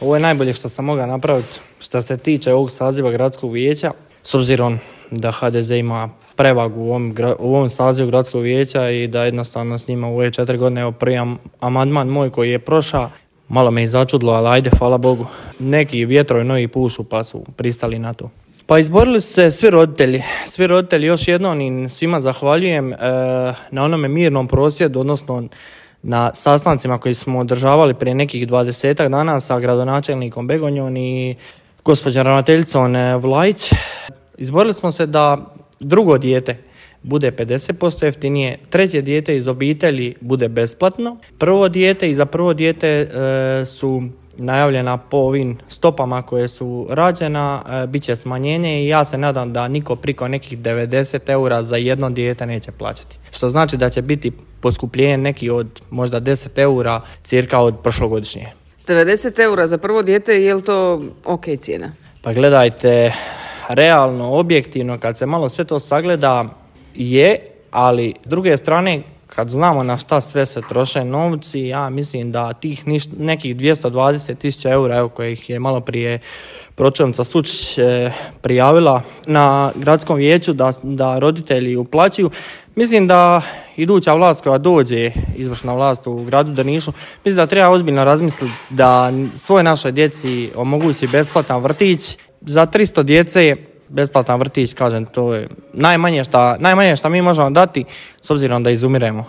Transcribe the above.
ovo je najbolje što sam mogao napraviti što se tiče ovog saziva gradskog vijeća, s obzirom da HDZ ima prevagu u ovom sazivu gradskog vijeća i da jednostavno s njima u ove 4 godine, evo prvi amandman moj koji je prošao, malo me i začudilo, ali ajde, hvala Bogu. Neki vjetrovi novi pušu pa su pristali na to. Pa izborili su se svi roditelji još jednom i svima zahvaljujem na onome mirnom prosvjedu, odnosno na sastancima koji smo održavali prije nekih 20 dana sa gradonačelnikom Begonjom i gospođom ravnateljicom Vlajić. Izborili smo se da drugo dijete bude 50% jeftinije, treće dijete iz obitelji bude besplatno, prvo dijete i za prvo dijete su najavljena po ovim stopama koje su rađena, bit će smanjenje i ja se nadam da niko priko nekih 90 eura za jedno dijete neće plaćati. Što znači da će biti poskupljenje neki od možda 10 eura cirka od prošlogodišnje. 90 eura za prvo dijete, je li to ok cijena? Pa gledajte, realno, objektivno, kad se malo sve to sagleda je, ali s druge strane, kad znamo na šta sve se troše novci, ja mislim da tih nekih 220.000 eura, evo kojih je malo prije pročelnica Sučić prijavila na gradskom vijeću da roditelji uplaćuju, mislim da iduća vlast koja dođe, izvršna vlast u gradu Drnišu, mislim da treba ozbiljno razmisliti da svoj našoj djeci omogući besplatan vrtić. Za 300 djece besplatan vrtić, kažem, to je najmanje što mi možemo dati s obzirom da izumiremo.